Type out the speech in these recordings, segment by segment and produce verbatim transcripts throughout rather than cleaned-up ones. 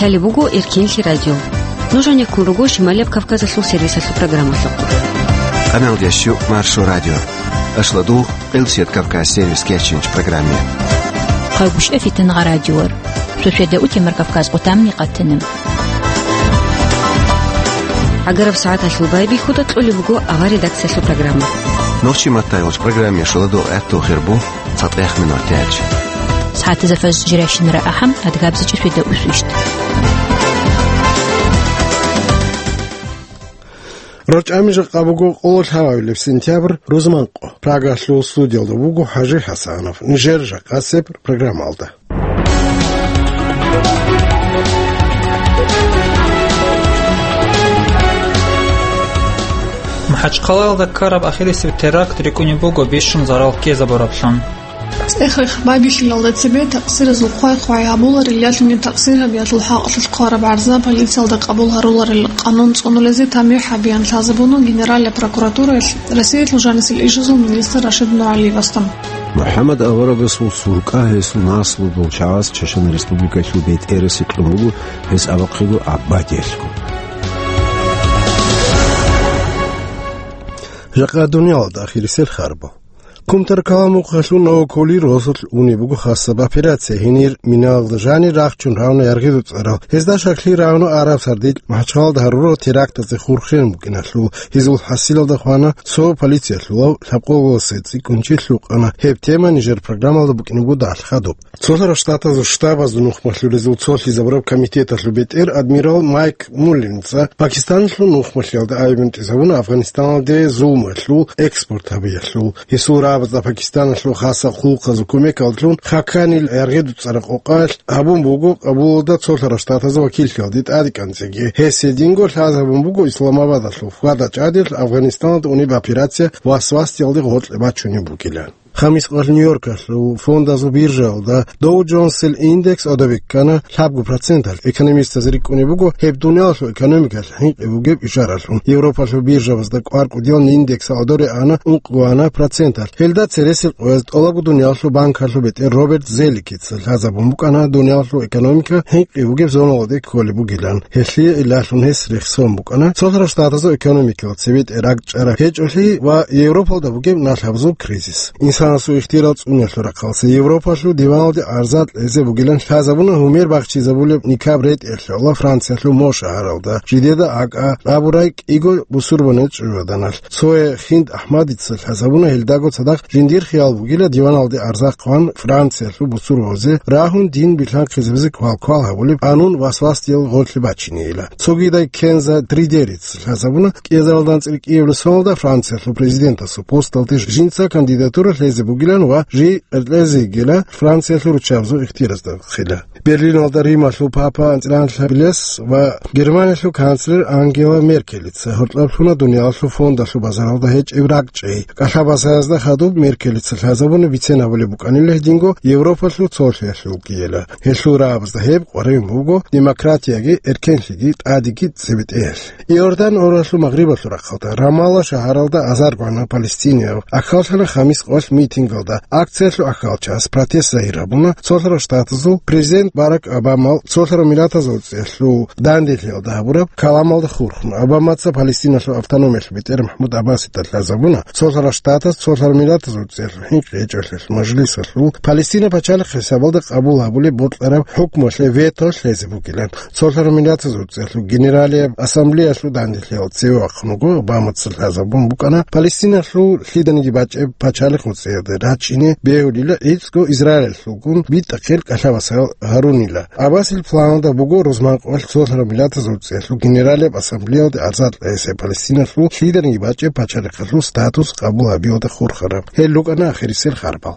Лъалеб буго Эркенлъи радио. Нуж гьанир ккун руго Шималияб Кавказалъул сервисалъул программалъухъ. Къаналдящу Маршо радио. Ашладугъ Къилсият Кавказ сервис кечинч программе. Хъагушев Фитангъа радиор. Шошеда утемар Кавказ къутамни къатанаб. Агараб сагӀаталъул байбихьуда кьолеб буго авар редакциялъул программа. Нохчи матайгъуч программе шуладу гӀатту хирбу. ЦатӀех минутач. СагӀатазда фаз жирайщинара ахӀам, адгабзичӀеб шведа усвищ. РорчӀами жакъа буго къоло лъабабилеб сентябрь, рузманкъо. Прагалъул студиялда буго ХӀажи ХӀасанов. Нижер жакъасеб программалда. МахӀачхъалаялда ккараб ахирисеб теракт рикӀкӀунеб буго бищун зарал ккезабураблъун. ЦӀех-рех байбихьилалда цебе такъсиразул хъвай-хъвай гьабуларел ялъуни такъсиргьабиялъул хӀакъалъулъ хъвараб гӀарза полициялда къабул гьаруларел къанун цӀунулезе тамихӀ гьабеян лъазабуна Генералияб прокуратураялъ Расиялъул жанисел ишазул министр Рашид НугӀалиевасда. МухӀаммад аварагасул суркъа гьесул наслудул чагӀаз Чечен Республикалъул бетӀерасе кьун буго, гьес абухъего гӀабадиялъго. Жакъа дуниялалда ахирисел харбал. Кумтар каламухъалъул Новокули росулъ унеб буго хасаб операция, гьенир миналда жанир рахчун равна яргъидуцӀарал. Гьезда шаклъи равна араб сардилъ МахӀачхъалада гьарурал терактазе хурхен букӀиналъул. Гьезул хӀасилалда хвана цо полициялъулав лъабкъоголасе цӀикӀкӀунчи лъукъана. Гьеб тема нижер программалда букӀине буго далъ хадуб. Цолъарал Штатазул штабазул нухмалъулезул цолъизабураб комитеталъул бетӀер адмирал Майк Муллинца Пакистаналъул нухмалъиялда айбентӀизабуна Афганистаналде зулмалъул экспорт гьабиялъул. Гьесул рагӀабазда Пакистаналъул хасаб хъулухъазул кумекалдалъун хаканил яргъидуцӀараб къокъалъ гьабун буго Кабулалда Цолъарал Штатазул вакиллъиялде тӀадекӀанцӀеги. Гьес гьединго лъазабун буго Исламабадалъул хьвада-чӀадиялъ Афганистаналда унеб операция васвасиялде гъоркье бачунеб бугилан. Хамис къоялъ Нью-Йоркалъул фондазул биржаялда Доу Джонсил индекс гӀодобе ккана лъабго проценталъ. Экономистазе рикӀкӀунеб буго гьеб дуниялалъул экономикалъ хӀинкъи бугеб ишаралъун. Европалъул биржабазда кӀвар кӀудиял индекс гӀодоре ана ункъго ана проценталъ. Гьелда цересел къояз тӀолабго дуниялалъул банкалъул бетӀер Роберт Зеликица лъазабун букӀана дуниялалъул экономика хӀинкъи бугеб зоналде кколеб бугилан. Гьелъие илалъун гьес рехсон букӀана Цолъарал Штатазул экономикиял цебетӀе ракӀчӀараб гьечӀолъи ва Европалда бугеб налъабазул кризис. Инсанасул ихтияр цӀуниялъул рахъалъе Европалъул диваналде гӀарза кьезе бугилан лъазабуна гьумер бахчизабулеб никаб ретӀелъула Франциялъул Мо шагьаралда. Жидеда акӀа абурай кӀиго бусурбанил чӀужугӀаданалъ. Цое Хинд Ахмадица лъазабуна гьелдаго цадахъ жиндир хиял бугила диваналде гӀарза хъван Франциялъул бусурбабазе рагьун дин билъанхъизабизе квалквал гьабулеб къанун васвасдиял гъорлъе бачинейила. Цогидай Кенза Тридерица лъазабуна кӀиазаралда анцӀила кӀиабилеб соналда Франциялъул президентасул посталде жинца кандидатура лъезе бугилан ва жий кьезе йигила Франциялъул руччабазул ихтияразда хила. Берлиналда Рималъул папа анцӀила анлъабилес ва Германиялъул канцлер Ангела Меркелица гьоркьоб лъуна дуниялалъул фондалъул базаралда гьечӀеб ракӀчӀей. КӀалъабазаязда хадуб Меркелица лъазабуна бицен гьабулеб букӀанила гьединго Европалъул цолъиялъулгийила. Гьелъул рагӀабазда гьеб къваригӀун буго демократияги, эркенлъиги, тӀадеги цебетӀеялъ. Иордан оралъул магърибалъул рахъалда, Рамалла шагьаралда азарго гӀана палестинияб ахьаллъана хамис къоялъ митингалда. Акциялъул ахьалчияс протест загьир гьабуна Цолъарал Штатазул президент Барак Обамал Цолъарал Миллатазул ЦӀеялъул данделъиялда гьабураб каламалда хурхун. Обамаца Палестиналъул автономиялъул бетӀер МахӀмуд Аббасида лъазабуна Цолъарал Штатаз Цолъарал Миллатазул ЦӀеялъул хӀинкъи гьечӀолъиялъ мажлисалъул Палестина пачалихъ хӀисабалда къабул гьабулеб бокьараб хӀукмуялъе вето лъезе бугилан. Цолъарал Миллатазул ЦӀеялъул Генералияб Ассамблеялъул данделъиялда цеве вахъун вуго Обамаца лъазабун букӀана Палестиналъул лъиданиги бачӀеб пачалихъ нуцӀиялде рачӀине бегьулила гӀицӀго Израилалъулгун битӀахъел кӀалъабасал гьарунила. Аббасил планалда буго рузман къоялъ Цолъарал Миллатазул ЦӀеялъул Генералияб Ассамблеялде гӀарза кьезе Палестиналъул лъиданиги бачӀеб пачалихъалъул статус къабул гьабиялда хурхараб. Гьел рукӀана ахирисел харбал.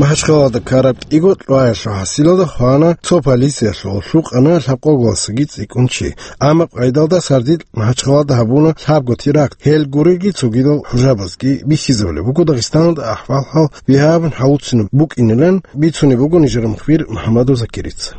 МахӀачхъалада ккараб кӀиго кьваялъул хӀасилалда хвана цо полициялъул, лъукъана лъабкъоголасаги цӀикӀкӀун чи. Амма къайдалда сардилъ МахӀачхъалада гьабуна лъабго теракт. Гьел гурелги цогидал хӀужабазги бихьизабулеб буго Дагъистаналда ахӀвал-хӀал бигьабун гьавуцинаб букӀинилан бицунеб буго нижер мухбир МухӀаммадов Закирица.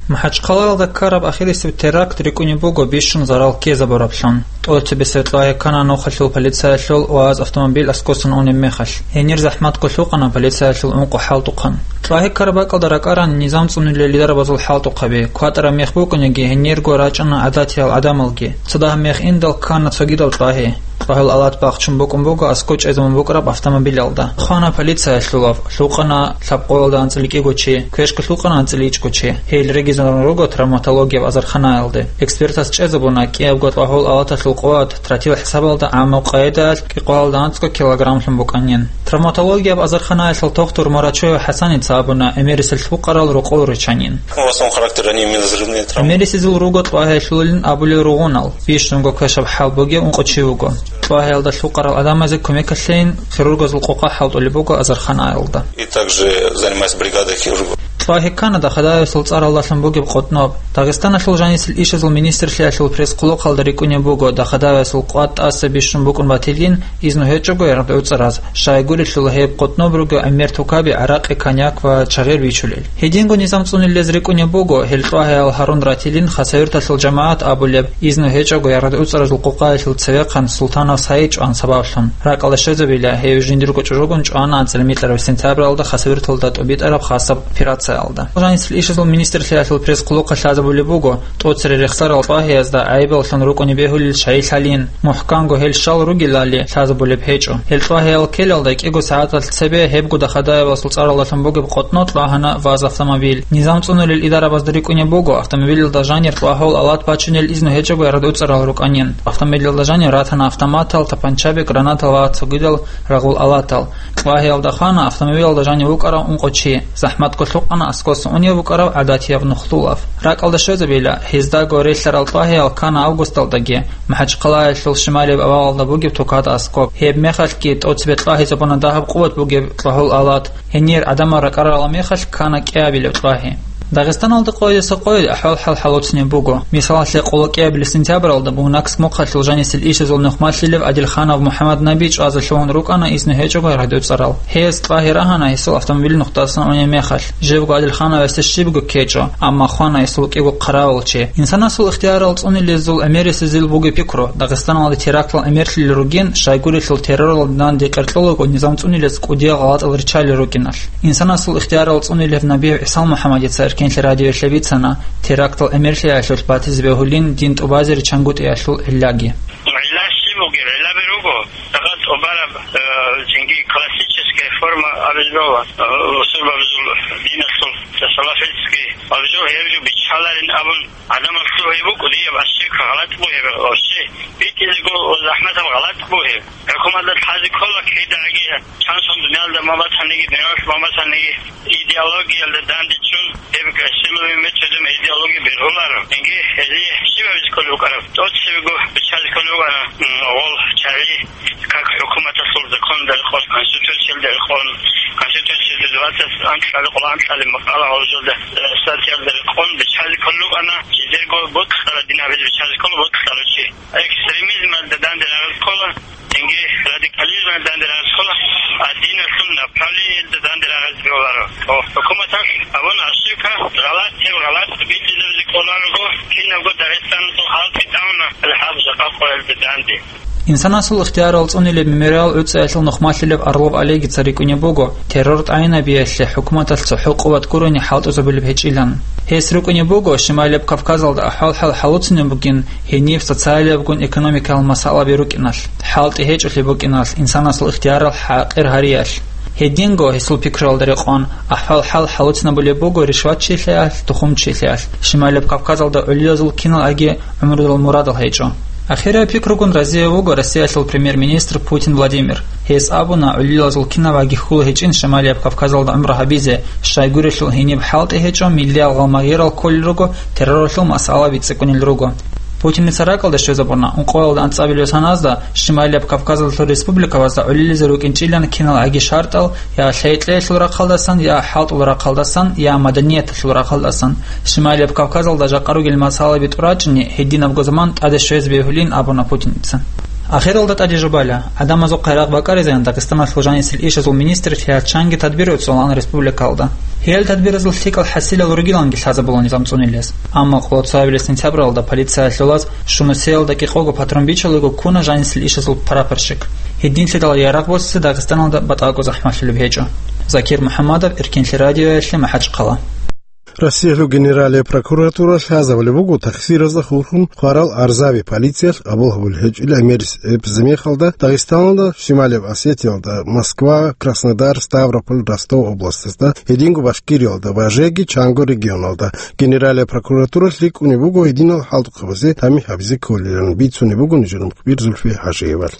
МахӀачхъалаялда ккараб ахирисеб теракт рикӀкӀунеб буго бищун зарал ккезабураблъун. ТӀоцебесеб ТӀагьир ккана нухалъул полициялъул ВАЗ автомобиль аскосан унеб мехалъ. Гьенир захӀматго лъукъана полициялъул ункъо хӀалтӀухъан. ТӀагьир ккараб бакӀалда ракӀаран низам цӀунулел лидарабазул хӀалтӀухъаби, кватӀараб мех букӀунеги гьенирго рачӀана гӀадатиял гӀадамалги. Цо дагьаб мех индал ккана цогидал ТӀагьи. ТӀагьул Алат бахчун букӀун буго аскӀов чӀезабун букӀараб автомобилялда. Хвана полициялъулав, лъукъана лъабкъоялда анцӀила кӀиго чи, квешго лъукъана анцӀила ичӀго чи. Гьел регизарун руго травматологияб азарханаялде. Экспертас чӀезабуна, кӀиябго ТӀагьул Алаталъул къуват тротил хӀисабалда гӀаммаб къайдаялъ кӀикъоялда анцӀго килограммлъун букӀанин. Травматологияб азарханаялъул тухтур Мурачоев ХӀасаница абуна, гӀемерисел лъукъарал рокъов ричанин. В основном характер они именно взрывные травмы. ГӀемерисезул руго ТӀагьиялъулин абулел ругъунал, бищунго квешаб хӀал бугев ункъо чи вуго. ТӀагьиялда лъукъарал гӀадамазе кумекалъейин хирургазул къокъа хӀалтӀулеб буго азарханаялда. И также занимаюсь бригадой хирургов. ТӀагьи ккана Дахадаевасул цӀаралдалъун бугеб къотӀноб. Дагъистаналъул жанисел ишазул министрлъиялъул пресс-хъулухъалда рикӀкӀунеб буго Дахадаевасул къватӀ тӀаса бищун букӀун батилин, изну гьечӀого яргъ гӀуцӀараз, щайгурелъул гьеб къотӀноб руго гӀемер тукаби гӀаракъи, коньяк ва чагъир бичулел. Гьединго низам цӀунилез рикӀкӀунеб буго, гьел ТӀагьиял гьарун ратилин Хасавюрталъул жамагӀат абулеб, изну гьечӀого яргъ гӀуцӀаразул къокъаялъул цевехъан Султанов Саид чӀван сабаблъун. РакӀалда щвезабила, гьев жиндирго чӀужугун чӀвана анцӀила микьараб сентябралда Хасавюрталда тӀубитӀараб хасаб операциялда. Жанисел ишазул министрлъиялъул пресс-хъулухъалъ лъазабулеб буго, тӀоцере рехсарал ТӀагьиязда гӀайибаллъун рукӀунеб бегьулел щайилъалин, мухӀканго гьел щал ругелали лъазабулеб гьечӀо. Гьел ТӀагьиял ккелалда кӀиго сагӀаталъ цебе гьебго Дахадаевасул цӀаралдалъун бугеб къотӀно тӀагьана ВАЗ автомобиль. Низам цӀунулел идарабазда рикӀкӀунеб буго, автомобилялда жанир ТӀагьул Алат бачунел изну гьечӀого яргъ гӀуцӀарал рукӀанин. Автомобилялда жанир ратана автоматал, тапанчаби, гранатал ва цогидал рагъул алатал. ТӀагьиялда хвана автомобилялда жанив вукӀарав ункъо чи, захӀматго лъукъана аскӀосан унев вукӀарав гӀадатияб нухлулав. РакӀалда щвезабила, гьездаго релълъарал ТӀагьиял ккана августалдаги МахӀачхъалаялъул шималияб авалалда бугеб тукада аскӀоб. Гьеб мехалъги тӀоцебе тӀагьизабуна дагьаб къуват бугеб ТӀагьул Алат. Гьенир гӀадамал ракӀарарал мехалъ ккана кӀиабилеб тӀагьи. Дагъистаналда къоялдаса къоялде ахӀвал-хӀал хӀалуцинеб буго. Мисалалъе, къоло кӀиабилеб сентябралда Бугнакск мухъалъул жанисел ишазул нухмалъилев Адилханов МухӀаммаднаби чӀвазе лъугьун рукӀана изну гьечӀого яргъ гӀуцӀарал. Гьес тӀагьи рагьана гьесул автомобиль нухтасан унеб мехалъ. Живго Адилхановасде щибго ккечӀо, амма хвана гьесул кӀиго хъаравулчи. Инсанасул ихтиярал цӀунилезул гӀемерисезул бугеб пикру, Дагъистаналде терактал гӀемерлъулел ругин, щайгурелъул терроралда данде къеркьолаго низам цӀунилез кӀудиял гъалатӀал риччалел рукӀиналъ. Инсанасул ихтиярал цӀунилев Набиев ГӀисал МухӀаммадица Эркенлъи радиоялъе бицана терактал гӀемерлъиялъулъ батизе бегьулин дин тӀубазеричангутӀиялъул гӀиллаги. ГӀилла щиб бугеб? ГӀиллаби руго. Факъат тӀубараб, э, цинги классическая форма абизбала, э, усурбабизул диналъул салафитский абизул гьеб жо биччаларин абун гӀадамал лъугьи букӀу, дияб ащик гъалатӀ бугеб вообще. БитӀизего захӀматаб гъалатӀ бугеб. ХӀукуматалъ лъазе ккола кидаги чансон дуниялда ма батаниги, дуниялалъ ма батаниги, идеологиялда дандечӀун, гьеб силовыми методами идеология бергьуларо. Инги гьезие щиб гьабизе кколеб букӀараб? ТӀоцебего биччазе кколеб букӀана, м, гъол чагӀи, как хӀукуматалъул законалда рекъон, конституциялда рекъон, конституциялда двадцать анкьалда, къоло анкьалда макъала гьавжалда, э, статьялда рекъон биччазе кколеб букӀана, жидерго бокьараб дин гьабизе биччазе ккола бокьарав чи. Экстремизмалда данде рагъизе ккола, цинги радикализмалда данде рагъизе ккола, а диналъул направлениялда данде рагъизе кколаро. О, хӀукуматалъ абуна ошибка, гъалатӀ, гьеб гъалатӀ битӀизабизе кколарого, кинабго Дагъистаналъул халкъи тӀамуна гьаб жакъа къоялда данде. Инсанасул ихтиярал цӀунилеб мемориал гӀуцӀиялъул нухмалъилев Орлов Олегица рикӀкӀунеб буго, террор тӀагӀинабиялъе хӀукуматалъ цохӀо къуват гурони хӀалтӀузабулеб гьечӀилан. Гьес рукӀунеб буго, Шималияб Кавказалда ахӀвал-хӀал хӀалуцинеб бугин, гьениб социалиябгун экономикаял масъалаби рукӀиналъ, хӀалтӀи гьечӀолъи букӀиналъ, инсанасул ихтиярал хӀакъир гьариялъ. Гьединго гьесул пикруялда рекъон, ахӀвал-хӀал хӀалуцинабулеб буго ришватчилъиялъ, тухумчилъиялъ, Шималияб Кавказалда гӀолилазул кинал аги гӀумрудул мурадал гьечӀо. Ахирай пикругун разияб вуго Россиялъул премьер-министр Путин Владимир. Гьес абуна, гӀолилазул кинаб аги хьул гьечӀин Шималияб Кавказалда гӀумру гьабизе, щайгурелъул гьениб хӀалтӀи гьечӀо, миллиял гъалмагъирал кколел руго, терроралъул масъалаби цӀикӀкӀунел руго. Путиница ракӀалда щвезабуна, ункъоялда анцӀабилеб саназда Шималияб Кавказалъул республикабазда гӀолилизе рукӀинчӀилан кинал аги шартӀал, я лъай-кьеялъул рахъалдасан, я хӀалтӀул рахъалдасан, я маданияталъул рахъалдасан. Шималияб Кавказалда жакъа ругел масъалаби тӀурачӀни гьединабго заман тӀаде щвезе бегьулин абуна Путиница. Ахиралда тӀаде жубайла, гӀадамазухъе рагъ бакӀаризеян Дагъистаналъул жанисел ишазул министрлъиялъ чанги тадбир цӀолаан республикалда. Гьел тадбиразул лъикӀал хӀасилал ругиланги лъазабула низам цӀунилез. Амма къоло цоабилеб сентябралда полициялъулаз Шунусиялда кӀикъого патрон бичалого ккуна жанисел ишазул прапорщик. Гьединлъидал ярагъ босизе Дагъистаналда батӀаго захӀмалъулеб гьечӀо. Закир МухӀаммадов, Эркенлъи радиоялъе, МахӀачхъала. Россиялъул Генералияб прокуратура лъазабулеб буго таксиразда хурхун хъварал гӀарзаби полициялъ къабул гьабулеб гьечӀеб гӀемерисеб мехалда Дагъистаналда, Шималияб Осетиялда, Москва, Краснодар, Ставрополь, Ростов областазда, гьединго Башкириялда ва жеги чанго регионалда. Генералияб прокуратуралъ рикӀкӀунеб буго гьединал хӀалтӀухъабазе тамихӀ гьабизе кколилан, бицунеб бугони журналист Зульфия ХӀажиевалъ.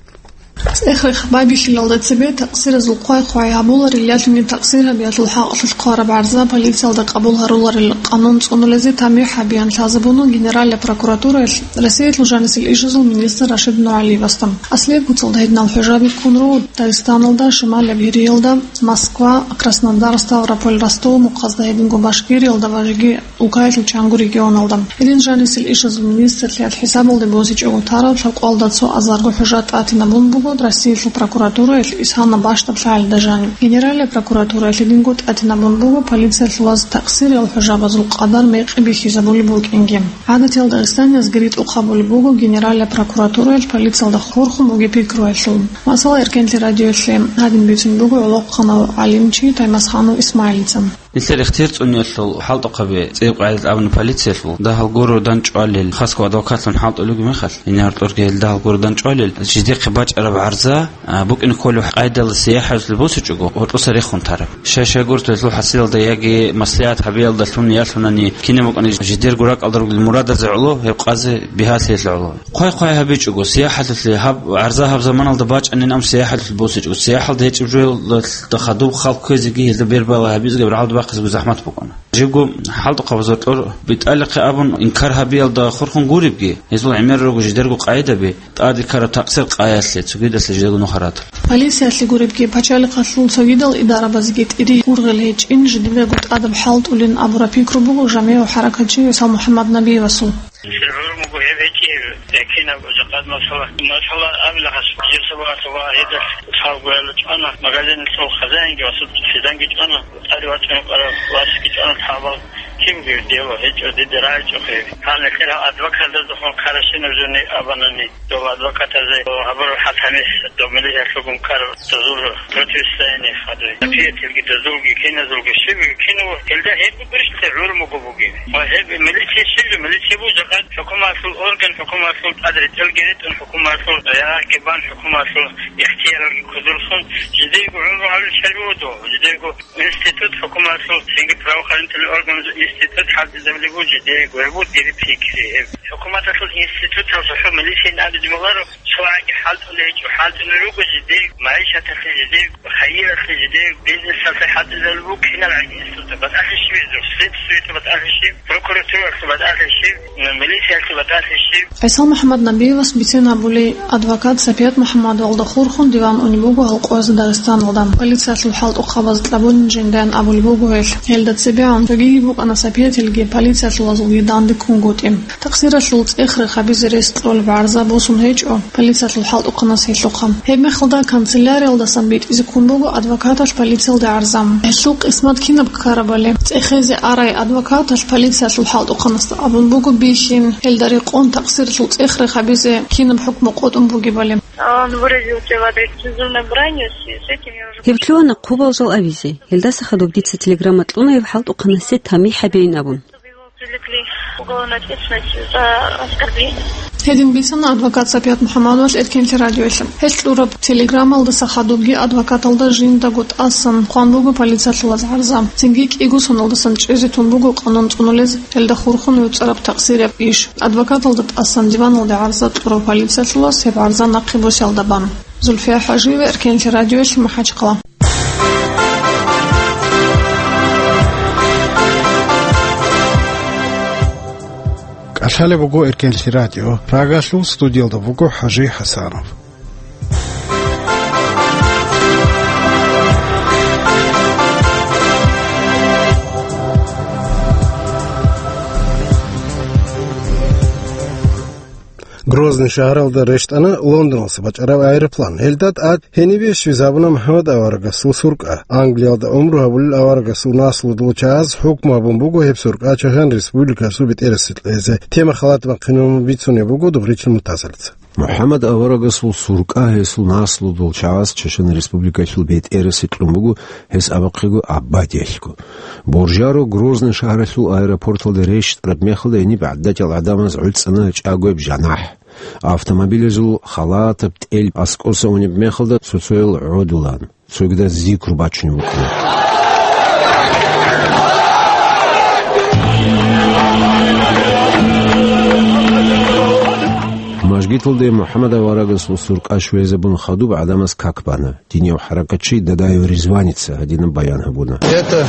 ЦӀех-рех бабихьилалда цебе таксиразул хъвай-хъвай гьабуларел, ялъуни таксир гьабиялъул хӀакъалъулъ хъвараб гӀарза полициялда къабул гьаруларел къанун цӀунулезе тамихӀ гьабеян лъазабуна Генералияб прокуратураялъ Россиялъул жанисел ишазул министр Рашид НугӀалиевасда. Аслияб куцалда гьединал хӀужаби ккун руго Дагъистаналда, Шималияб Гьириялда, Москва, Краснодар, Ставрополь, Ростов мухъазда, гьединго Башкириялда ва жеги Улкаялъул чанго регионалда. Гьедин жанисел ишазул министрлъиялъ хӀисабалде босичӀого тараб лъабкъоялда цо азарго хӀужа тӀатинабун буго Россиялъул прокуратураялъ исана бащдаб лъагӀалида жаниб. Генералияб прокуратураялъ гьединго тӀатинабун буго полициялъулаз таксириял хӀужабазул къадар мекъи бихьизабулеб букӀинги. ГӀадатиялда Дагъистаниязги ритӀухъ гьабулеб буго Генералияб прокуратураялъ полициялда хурхун бугеб пикруялъул. Масала, Эркенлъи радиоялъе гьадин бицун буго гӀолохъанав гӀалимчи Таймасханов Исмаилица. Нилъер ихтияр цӀуниялъул хӀалтӀухъаби цӀикӀкӀун абуна полициялъул, дагьал гуро дандчӀвалел, хасго адвокатлъун хӀалтӀулев мехалъ, гьенир гьоркьорги гьел дагьал гуро дандчӀвалел, жидехъе бачӀараб гӀарза, а, букӀине кколев къайдалда, сияхӀалъулъ босичӀого, гьоркьоса рехун тараб. Щай-щай гуртӀа гьелъул хӀасилалда яги маслигӀат гьабиялдалъун ялъунани кинаб букӀани жидерго ракӀалда ругел мурадазе гӀоло, гьеб къазе бигьалъиялъе гӀоло. Хъвай-хъвай гьабичӀого, сияхӀалъулъе гьаб, гӀарза гьаб заманалда бачӀанин, ам сияхӀалъулъ босичӀого, сияхӀалда гьечӀеб жоялда хадуб халкъ кквезеги, гьелда бербала гьабизеги рагӀалда бахъизеги захӀмат букӀана. Жибго хӀалтӀухъабазул кьор битӀалихъе абун инкар гьабиялда хурхун гуребги, гьезул гӀемер руго жидерго къайдаби, тӀаде ккараб такъсир къаялъе, цогидалъе жидерго нухарат. Полициялъе гуребги, пачалихъалъул цогидал идарабазеги тӀире гургъел гьечӀин, жидедаго тӀадаб хӀалтӀулин абураб пикру буго жамигӀав хӀаракатчи ГӀиса МухӀаммад Набиевасул. Нилъер гӀумруго гьеб гьечӀеб, э, кинаб жакъад масала. Масала абила гьас, жив сабагьалъ ва гьедалъ лъабгоялда чӀвана, магазинал хазаинги ва суд-, лъиданги чӀвана, тӀаде вачӀун вукӀарав васги чӀвана лъабал. Кин гьев дело гьечӀо, дида рагӀичӀо гьев. Гьанна кьира адвокатаздехун карашинаб жони абанани, дов адвокатазе гьабураб хӀатани дов милициялъугун ккараб дозул противостояние хадуй. Приятелги дозулги, киназулги, щибги, кинав гьелда гьеб гурищ гӀумруго бугеб. Ва гьеб милиция щиб жо, милиция буго жакъа хӀукуматлъул орган, хӀукуматлъул тӀад ретӀелги ретӀун, хӀукуматлъул ягьги бан, хӀукуматлъул ихтияралги кодолъун, жидейго гӀумру гьабил чарбугьу, жидейго институт, хӀукуматлъул цинги правоохранительный органазул институт хӀалтӀизабулеб буго жидейго, гьеб буго дир пикри. ХӀукуматалъул институталъухъ милициян абизе бегьуларо, цо гӀаги хӀалтӀулел гьечӀо, хӀалтӀулел руго жидей, магӀишаталъе жидей, хайиралъе жидей, бизнесалъе хӀалтӀизабулеб буго кинал гӀаги институт. БатӀалъи щиб гьезул? Следствиялъе батӀалъи щиб? Прокуратуралъе батӀалъи щиб? Милициялъе батӀалъи щиб? ГӀиса МухӀаммад Набиевас бицен гьабулей адвокат Сапият МухӀаммадовалда хурхун диван унеб буго гьал къоязда Дагъистаналда. Полициялъул хӀалтӀухъабаз кьабулин жиндаян абулеб буго гьелъ. Гьелда цебегӀан цогиги букӀана Сапиятилги полициялъулазулги данде ккунгутӀи. Такъсиралъул цӀех-рех гьабизе рес кьолеб гӀарза босун гьечӀо полициялъул хӀалтӀухъанас гьелъухъа. Гьебмехалда канцеляриялдасан битӀизе ккун буго адвокаталъ полициялде гӀарза. Гьелъул къисмат кинаб ккарабали, цӀехезе арай адвокаталъ полициялъул хӀалтӀухъанасда абун буго бихьин, гьелда рекъон такъсиралъул цӀех-рех гьабизе кинаб хӀукму къотӀун бугебали. А он выразил тело агрессивной бранью, с с этим я уже... Гьеб лъугьана хъубал жал авизе. Гьелдаса хадуб дица телеграмма кьуна гьеб хӀалтӀухъанасе тамихӀ гьабейин абун. Чтобы его привлекли к уголовной ответственности за оскорбление. Гьедин бицана адвокат Сапият МухӀаммадовалъ Эркенлъи радиоялъе. Гьелъ кьураб телеграммалдаса хадубги адвокаталда жиндаго тӀасан хъван буго полициялъулаз гӀарза. Цинги кӀиго соналдасан чӀезе тун буго къанун цӀунулез гьелда хурхун вуцӀараб такъсирияб иш. Адвокаталда тӀасан диваналде гӀарза кьурав полициялъулас гьеб гӀарза нахъе босиялда бан. Зульфия ХӀажиева, Эркенлъи радиоялъе, МахӀачхъала. КӀалъалеб буго Эркенлъи радио. Прагалъул студиялда вуго ХӀажи ХӀасанов. Грозный шагьаралда рещтӀана Лондоналъуса бачӀараб аэроплан. Гьелда тӀад гьенибе щвезабуна МухӀаммад аварагасул суркъа. Англиялда гӀумру гьабулел аварагасул наслуялъул чагӀаз хӀукму гьабун буго гьеб суркъа Чачан Республикасул бетӀерасде кьезе. Тема халат бахъинабун бицунеб буго Добричил Муртазалица. МухӀаммад аварагасул суркъа гьесул наслуялъул чагӀаз Чачан Республикалъул бетӀерасде кьун буго, гьес абухъего абадиялъго. Боржаро Грозный шагьаралъул аэропорталда рещтӀараб мехалда гьениб гӀадатиял гӀадамаз гӀуцӀана чӀагояб жанахӀ. Автомобилазул халатаб тӀел аскӀоса унеб мехалда цо-цоял гӀодулаан, цогидаз зикру бачунеб букӀана. Мажгиталде МухӀаммад аварагасул суркъа щвезабун хадуб гӀадамаз как бана. Динияв хӀаракатчи Дадаев Ризваница гьадинаб баян гьабуна. Это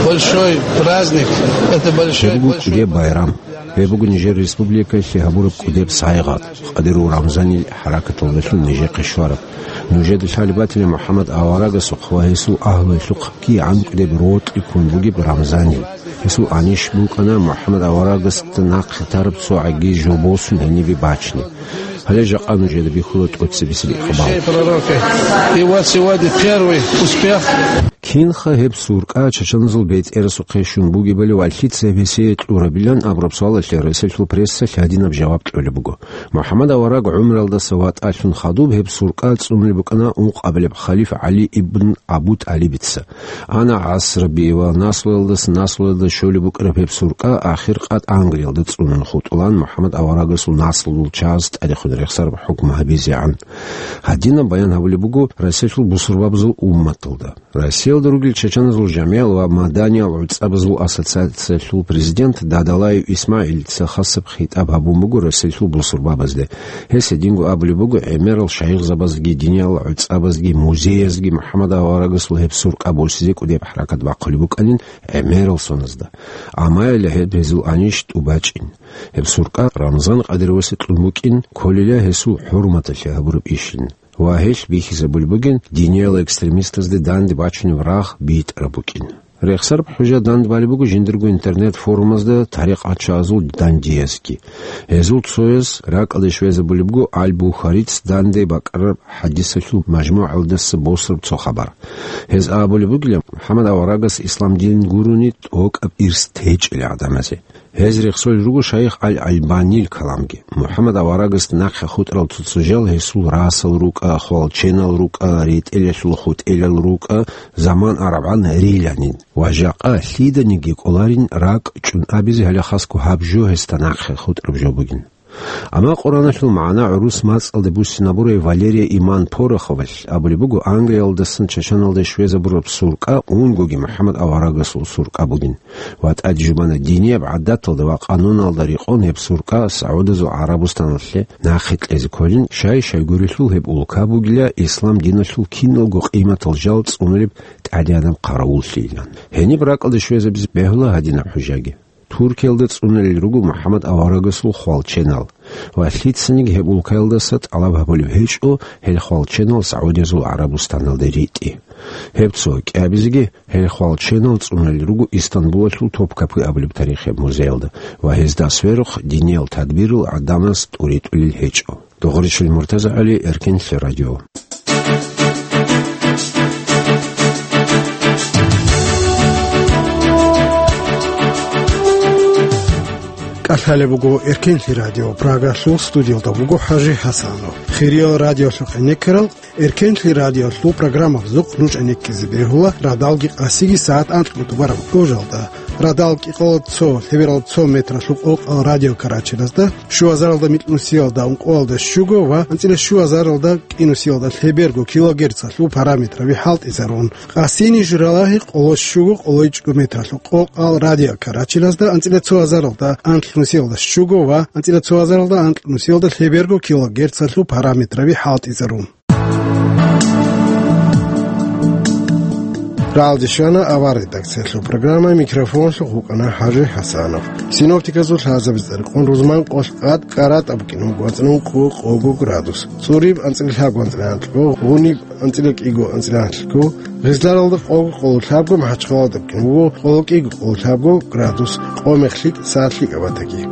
большой праздник, это большой, Гьеб буго большой кӀудеб байрам. Гьеб буго нижер республикалъе гьабураб кӀудеб сайгъат, къадирул Рамзанил хӀаракаталдалъун нижехъе щвараб. Нужеда лъалеб батила МухӀаммад аварагасухъ ва гьесул агьлуялъухъ кигӀан кӀудеб рокьи ккун бугеб Рамзанил. Гьесул анищ букӀана МухӀаммад аварагасда нахъе тараб цо гӀаги жо босун гьенибе бачни. Гьале жакъа нужеда бихьула тӀоцебесеб икъбал. Пророка. И вот сегодня первый успех. Кинха гьеб суркъа чачаназул бетӀерасухъе щун бугебали ва лъица гьеб гьесие кьурабилан абураб суалалъе Россиялъул прессалъ гьадинаб жаваб кьолеб буго. МухӀаммад авараг гӀумруялдаса ватӀалъун хадуб гьеб суркъа цӀунулеб букӀана ункъабилеб халиф ГӀали ибн Абу ТӀалибица. Ана гӀасрабиги ва наслуялдаса наслуялда щолеб букӀараб гьеб суркъа ахир къад Англиялда цӀунун хутӀулаан МухӀаммад аварагасул наслуялъул чагӀаз тӀадехун рехсараб хӀукму гьабизегӀан. Гьадинаб баян гьабулеб буго Россиялъул бусурбабазул умматалда. Россиялда ругел чачаназул жамгӀиял ва маданиял гӀуцӀабазул ассоциациялъул президент Дадалаев ИсмагӀилица хасаб хитӀаб гьабун буго Россиялъул бусурбабазде. Гьес гьединго абулеб буго, гӀемерал шайихзабазги, диниял гӀуцӀабазги, музеязги МухӀаммад аварагасул гьеб суркъа босизе кӀудеб хӀаракат бахъулеб букӀанин гӀемерал соназда. Амма гьеле гьеб гьезул анищ тӀубачӀин. Гьеб суркъа Рамзан Къадировасе кьун букӀин, кколила гьесул хӀурматалъе гьабураб ишин. Ва гьелъ бихьизабулеб бугин диниял экстремистазде данде бачунеб рагъ битӀараб букӀин. Рехсараб хӀужа данде балеб буго жиндирго интернет-форумазда тарикъатчагӀазул дандиязги. Гьезул цояз ракӀалде щвезабулеб буго Аль-Бухарица данде бакӀараб хӀадисалъул мажмугӀалдаса босараб цо хабар. Гьез абулеб бугила, МухӀаммад аварагас ислам дин гурони тӀокӀаб ирс течӀила гӀадамазе. Гьез рехсолел руго шайих Аль-Албанил каламги. МухӀаммад аварагасда нахъе хутӀарал цо-цо жал гьесул расал рукӀа, хвалченал рукӀа, ретӀелалъул хутӀелал рукӀа, заман арабгӀан риланин. Ва жакъа лъиданиги кӀоларин ракӀ чӀун абизе гьале хасго гьаб жо гьесда нахъе хутӀараб жо бугин. Амма Къуръаналъул магӀна гӀурус мацӀалде буссинабурай Валерия Иман Пороховалъ абулеб буго, Англиялдасан чачаналде щвезабураб суркъа унгоги МухӀаммад аварагасул суркъа бугин. Ва тӀаде жубана динияб гӀадаталда ва къануналда рекъон гьеб суркъа СагӀудазул ГӀарабустаналъе нахъе кьезе кколин, щай-щайгурелъул гьеб улка бугила ислам диналъул киналго къиматал жал цӀунулеб тӀадегӀанаб хъаравуллъийилан. Гьениб ракӀалде щвезабизе бегьула гьадинаб хӀужаги. Туркиялда цӀунулел руго МухӀаммад аварагасул хвалченал ва лъицаниги гьеб улкаялдаса тӀалаб гьабулеб гьечӀо гьел хвалченал СагӀудиязул ГӀарабустаналде ритӀи. Гьеб цо кӀиабизеги гьел хвалченал цӀунулел руго Истанбулалъул Топкапы абулеб тарихияб музеялда ва гьезда сверухъ диниял тадбирал гӀадамаз тӀуритӀулел гьечӀо. Догъричил МуртазагӀали, Эркенлъи радио. КӀалъалеб буго Эркенлъи радио, Прагалъул студиялда вуго ХӀажи ХӀасанов. Хириял радиолъухъ гӀенеккарал, Эркенлъи радиолъул программабазухъ нуж гӀенеккизе бегьула радалги къасиги сагӀат анкьго тӀубараб кӀужалда. Радал кӀикъоялда цо, лъебералда цо метралъул къокъал радиокарачелазда, щуазаралда микьнусиялда ункъоялда щуго ва анцӀила щуазаралда кӀинусиялда лъеберго килогерцалъул параметраби хӀалтӀизарун. Къасини журалагьи къоло щуго къолойчӀго метралъул къокъал радиокарачелазда анцӀила цо азаралда анкьнусиялда щуго ва анцӀила цо азаралда анкьнусиялда лъеберго килогерцалъул параметраби хӀалтӀизарун. Ралде щвана авар редакциялъул программа, микрофонлъухъ вукӀана ХӀажи ХӀасанов. Синоптиказул лъазабиз цӀарикъун рузман къолъ къад кӀаратӀа букӀин буго анцӀила ункъо къого градус, цӀуриб анцӀила лъабго анцӀила анкьго, гъуниб анцӀила кӀиго анцӀила анлъго, гъизларалда къого къоло лъабго, МахӀачхъалада букӀин буго къоло кӀиго къоло лъабго градус, къо мехлъи сад лъикӀаб батаги.